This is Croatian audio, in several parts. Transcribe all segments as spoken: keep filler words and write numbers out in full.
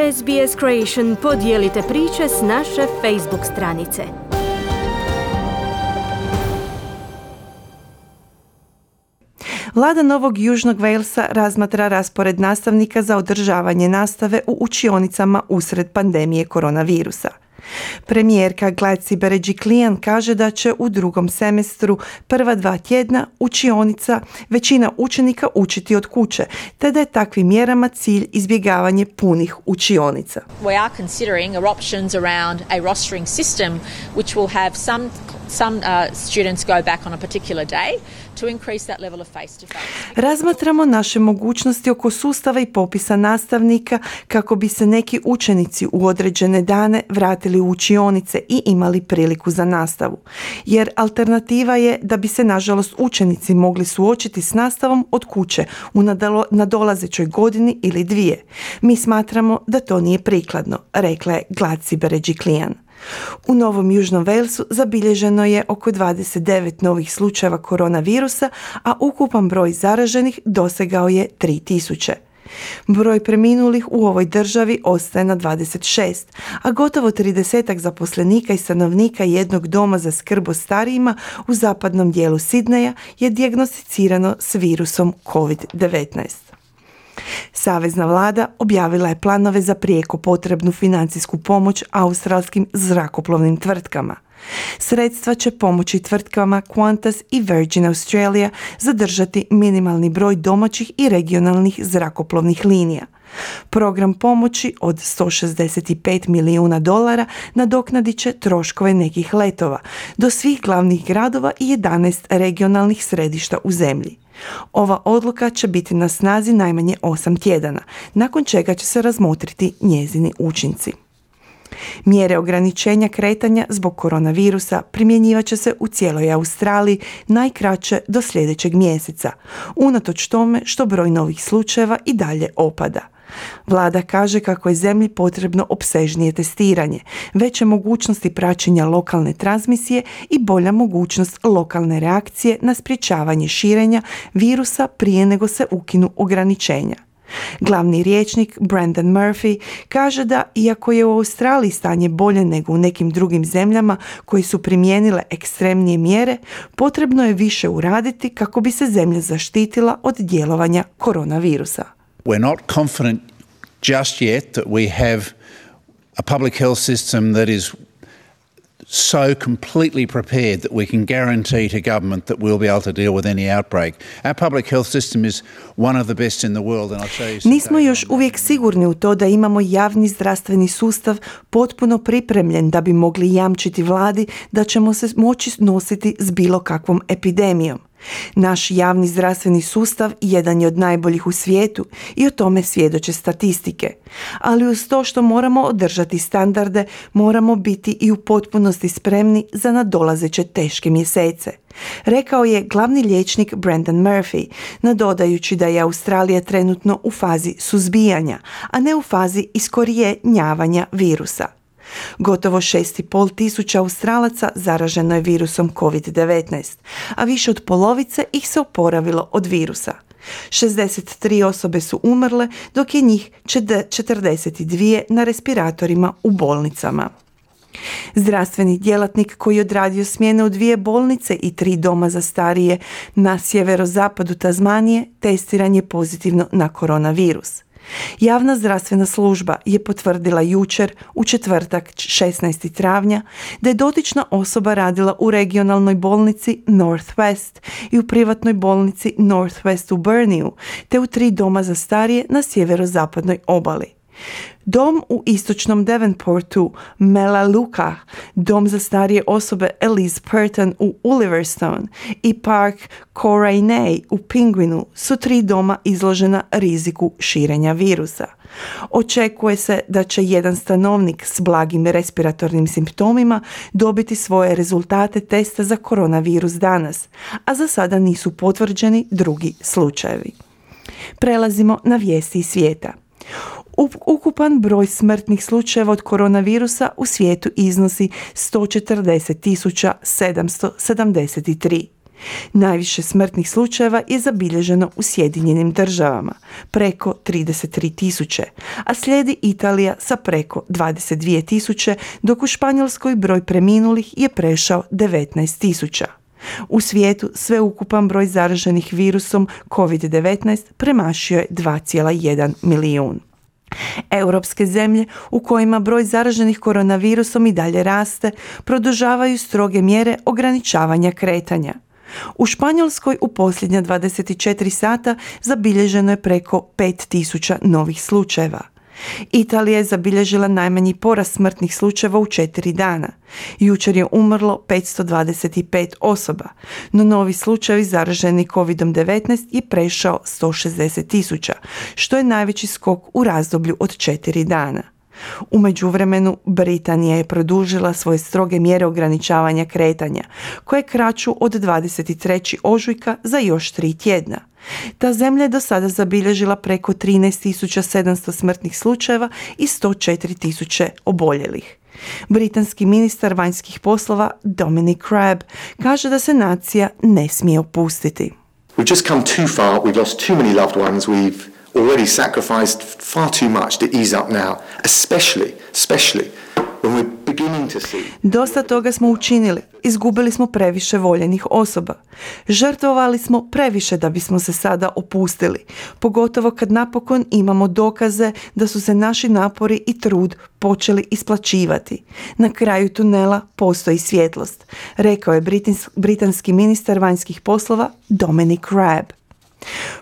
S B S Creation podijelite priče s naše Facebook stranice. Vlada Novog Južnog Walesa razmatra raspored nastavnika za održavanje nastave u učionicama usred pandemije koronavirusa. Premijerka Gladys Berejiklian kaže da će u drugom semestru prva dva tjedna učionica većina učenika učiti od kuće, te da je takvim mjerama cilj izbjegavanje punih učionica. We are considering options around a rostering system which will have some some uh, students go back on a particular day to increase that level of face to face. Razmatramo naše mogućnosti oko sustava i popisa nastavnika kako bi se neki učenici u određene dane vratili u učionice i imali priliku za nastavu. Jer alternativa je da bi se nažalost učenici mogli suočiti s nastavom od kuće u nadolazećoj godini ili dvije. Mi smatramo da to nije prikladno, rekla je Gladys Berejiklian. U Novom Južnom Walesu zabilježeno je oko dvadeset devet novih slučajeva koronavirusa, a ukupan broj zaraženih dosegao je tri tisuće. Broj preminulih u ovoj državi ostaje na dvadeset šest, a gotovo tridesetak zaposlenika i stanovnika jednog doma za skrb o starijima u zapadnom dijelu Sidneja je dijagnosticirano s virusom kovid devetnaest. Savezna vlada objavila je planove za prijeko potrebnu financijsku pomoć australskim zrakoplovnim tvrtkama. Sredstva će pomoći tvrtkama Qantas i Virgin Australia zadržati minimalni broj domaćih i regionalnih zrakoplovnih linija. Program pomoći od sto šezdeset pet milijuna dolara nadoknadit će troškove nekih letova do svih glavnih gradova i jedanaest regionalnih središta u zemlji. Ova odluka će biti na snazi najmanje osam tjedana, nakon čega će se razmotriti njezini učinci. Mjere ograničenja kretanja zbog koronavirusa primjenjivat će se u cijeloj Australiji najkraće do sljedećeg mjeseca, unatoč tome što broj novih slučajeva i dalje opada. Vlada kaže kako je zemlji potrebno opsežnije testiranje, veće mogućnosti praćenja lokalne transmisije i bolja mogućnost lokalne reakcije na sprječavanje širenja virusa prije nego se ukinu ograničenja. Glavni rječnik Brendan Murphy kaže da iako je u Australiji stanje bolje nego u nekim drugim zemljama koji su primijenile ekstremnije mjere, potrebno je više uraditi kako bi se zemlja zaštitila od djelovanja koronavirusa. We're not confident just yet that we have a public health system that is so completely prepared that we can guarantee to government that we'll be able to deal with any outbreak. Our public health system is one of the best in the world, and I'll show you some. Nismo još uvijek sigurni u to da imamo javni zdravstveni sustav potpuno pripremljen da bi mogli jamčiti vladi da ćemo se moći nositi s bilo kakvom epidemijom. Naš javni zdravstveni sustav jedan je od najboljih u svijetu i o tome svjedoče statistike. Ali uz to što moramo održati standarde, moramo biti i u potpunosti spremni za nadolazeće teške mjesece, rekao je glavni liječnik Brendan Murphy, nadodajući da je Australija trenutno u fazi suzbijanja, a ne u fazi iskorijenjavanja virusa. Gotovo šest i pol tisuća Australaca zaraženo je virusom kovid devetnaest, a više od polovice ih se oporavilo od virusa. šezdeset tri osobe su umrle, dok je njih četrdeset dvije na respiratorima u bolnicama. Zdravstveni djelatnik koji je odradio smjene u dvije bolnice i tri doma za starije na sjeverozapadu Tasmanije testiran je pozitivno na koronavirus. Javna zdravstvena služba je potvrdila jučer, u četvrtak šesnaestog travnja, da je dotična osoba radila u regionalnoj bolnici Northwest i u privatnoj bolnici Northwest u Burneyu, te u tri doma za starije na sjeverozapadnoj obali. Dom u istočnom Devonportu, Melaleuca, dom za starije osobe Elise Purton u Ulverstone i Park Corainey u Penguinu su tri doma izložena riziku širenja virusa. Očekuje se da će jedan stanovnik s blagim respiratornim simptomima dobiti svoje rezultate testa za koronavirus danas, a za sada nisu potvrđeni drugi slučajevi. Prelazimo na vijesti iz svijeta. Ukupan broj smrtnih slučajeva od koronavirusa u svijetu iznosi sto četrdeset tisuća sedamsto sedamdeset tri. Najviše smrtnih slučajeva je zabilježeno u Sjedinjenim državama, preko trideset tri tisuće, a slijedi Italija sa preko dvadeset dvije tisuće, dok u Španjolskoj broj preminulih je prešao devetnaest tisuća. U svijetu sveukupan broj zaraženih virusom kovid devetnaest premašio je dva zarez jedan milijun. Europske zemlje u kojima broj zaraženih koronavirusom i dalje raste, produžavaju stroge mjere ograničavanja kretanja. U Španjolskoj u posljednja dvadeset četiri sata zabilježeno je preko pet tisuća novih slučajeva. Italija je zabilježila najmanji porast smrtnih slučajeva u četiri dana. Jučer je umrlo petsto dvadeset pet osoba, no novi slučajevi zaraženi kovid devetnaest je prešao sto šezdeset tisuća, što je najveći skok u razdoblju od četiri dana. U međuvremenu, Britanija je produžila svoje stroge mjere ograničavanja kretanja, koje kraću od dvadeset trećeg ožujka za još tri tjedna. Ta zemlja je do sada zabilježila preko trinaest tisuća sedamsto smrtnih slučajeva i sto četiri tisuće oboljelih. Britanski ministar vanjskih poslova Dominic Raab kaže da se nacija ne smije opustiti. We've just come too far, we've lost too many loved ones, we've already sacrificed far too much to ease up now, especially, especially when we're beginning to see. Dosta toga smo učinili, izgubili smo previše voljenih osoba. Žrtvovali smo previše da bismo se sada opustili, pogotovo kad napokon imamo dokaze da su se naši napori i trud počeli isplaćivati. Na kraju tunela postoji svjetlost, rekao je britanski ministar vanjskih poslova Dominic Raab.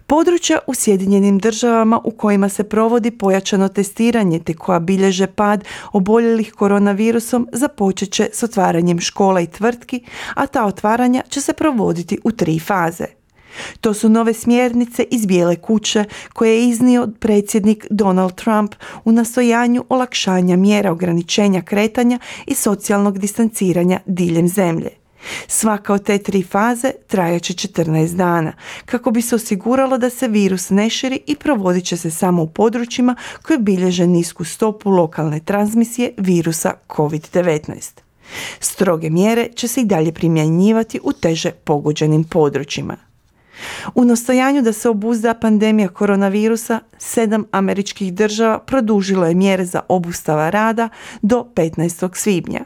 Područja u Sjedinjenim državama u kojima se provodi pojačano testiranje te koja bilježe pad oboljelih koronavirusom započet će s otvaranjem škola i tvrtki, a ta otvaranja će se provoditi u tri faze. To su nove smjernice iz Bijele kuće koje je iznio predsjednik Donald Trump u nastojanju olakšanja mjera ograničenja kretanja i socijalnog distanciranja diljem zemlje. Svaka od te tri faze trajat će četrnaest dana, kako bi se osiguralo da se virus ne širi i provodit će se samo u područjima koje bilježe nisku stopu lokalne transmisije virusa kovid devetnaest. Stroge mjere će se i dalje primjenjivati u teže pogođenim područjima. U nastojanju da se obuzda pandemija koronavirusa, sedam američkih država produžilo je mjere za obustava rada do petnaestog svibnja.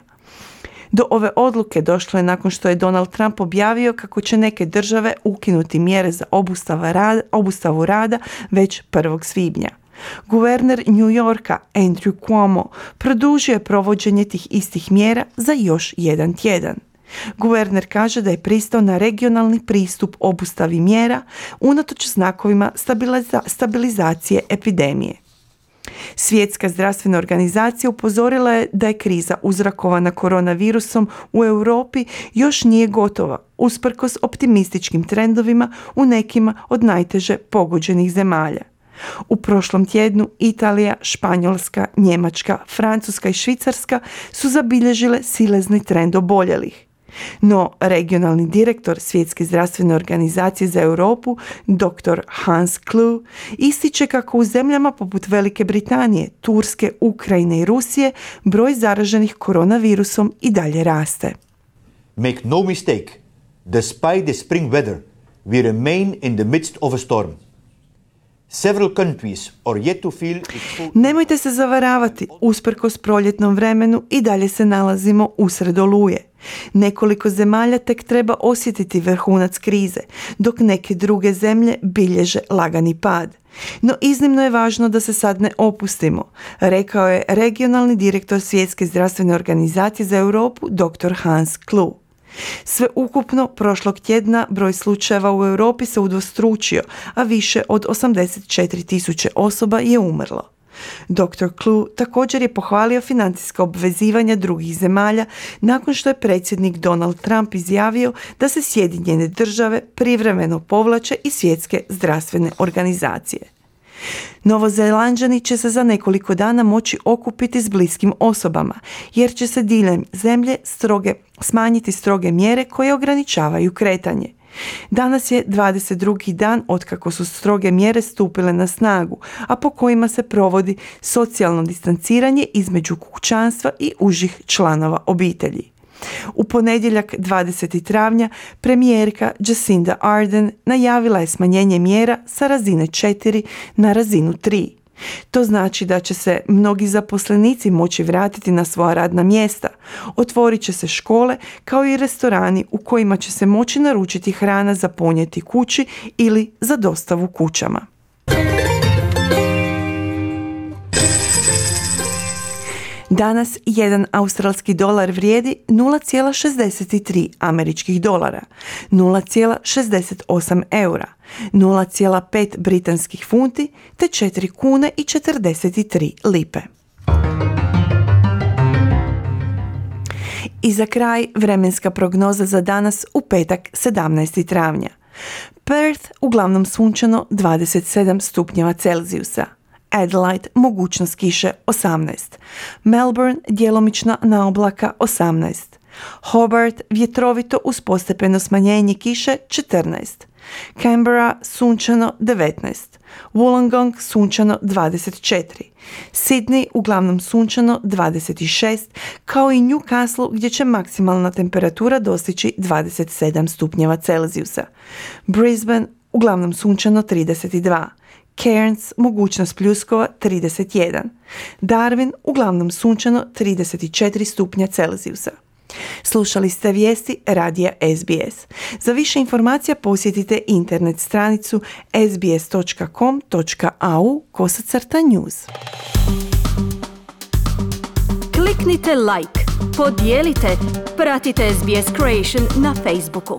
Do ove odluke došlo je nakon što je Donald Trump objavio kako će neke države ukinuti mjere za obustava rada, obustavu rada već prvog svibnja. Guverner New Yorka Andrew Cuomo produžio je provođenje tih istih mjera za još jedan tjedan. Guverner kaže da je pristao na regionalni pristup obustavi mjera unatoč znakovima stabiliza- stabilizacije epidemije. Svjetska zdravstvena organizacija upozorila je da je kriza uzrokovana koronavirusom u Europi još nije gotova, usprkos optimističkim trendovima u nekima od najteže pogođenih zemalja. U prošlom tjednu Italija, Španjolska, Njemačka, Francuska i Švicarska su zabilježile silezni trend oboljelih. No, regionalni direktor Svjetske zdravstvene organizacije za Europu, dr. Hans Kluge, ističe kako u zemljama poput Velike Britanije, Turske, Ukrajine i Rusije broj zaraženih koronavirusom i dalje raste. Make no mistake, despite the spring weather, we remain in the midst of a storm. Several countries are yet to feel its full... Nemojte se zavaravati, usprkos proljetnom vremenu i dalje se nalazimo usred oluje. Nekoliko zemalja tek treba osjetiti vrhunac krize, dok neke druge zemlje bilježe lagani pad. No iznimno je važno da se sad ne opustimo, rekao je regionalni direktor Svjetske zdravstvene organizacije za Europu dr. Hans Kluge. Sve ukupno prošlog tjedna broj slučajeva u Europi se udvostručio, a više od osamdeset četiri tisuće osoba je umrlo. doktor Kluge također je pohvalio financijska obvezivanja drugih zemalja nakon što je predsjednik Donald Trump izjavio da se Sjedinjene države privremeno povlače iz Svjetske zdravstvene organizacije. Novozelanđani će se za nekoliko dana moći okupiti s bliskim osobama, jer će se diljem zemlje stroge, smanjiti stroge mjere koje ograničavaju kretanje. Danas je dvadeset drugi dan otkako su stroge mjere stupile na snagu, a po kojima se provodi socijalno distanciranje između kućanstva i užih članova obitelji. U ponedjeljak dvadesetog travnja premijerka Jacinda Ardern najavila je smanjenje mjera sa razine četiri na razinu tri. To znači da će se mnogi zaposlenici moći vratiti na svoja radna mjesta. Otvorit će se škole kao i restorani u kojima će se moći naručiti hrana za ponijeti kući ili za dostavu kućama. Danas jedan australski dolar vrijedi nula zarez šezdeset tri američkih dolara, nula zarez šezdeset osam eura, nula zarez pet britanskih funti te četiri kune i četrdeset tri lipe. I za kraj vremenska prognoza za danas u petak sedamnaestog travnja. Perth uglavnom sunčano dvadeset sedam stupnjeva Celzijusa. Adelaide mogućnost kiše osamnaest. Melbourne djelomična naoblaka osamnaest. Hobart vjetrovito uz postepeno smanjenje kiše četrnaest. Canberra sunčano devetnaest. Wollongong sunčano dvadeset četiri. Sydney uglavnom sunčano dvadeset šest, kao i Newcastle gdje će maksimalna temperatura dostići dvadeset sedam stupnjeva Celzijusa. Brisbane uglavnom sunčano trideset dva. Cairns mogućnost pljuskova trideset jedan. Darwin uglavnom sunčano trideset četiri stupnja Celzijusa. Slušali ste vijesti radija S B S. Za više informacija posjetite internet stranicu s b s dot com dot a u kosacrta news. Kliknite like, podijelite, pratite S B S Creation na Facebooku.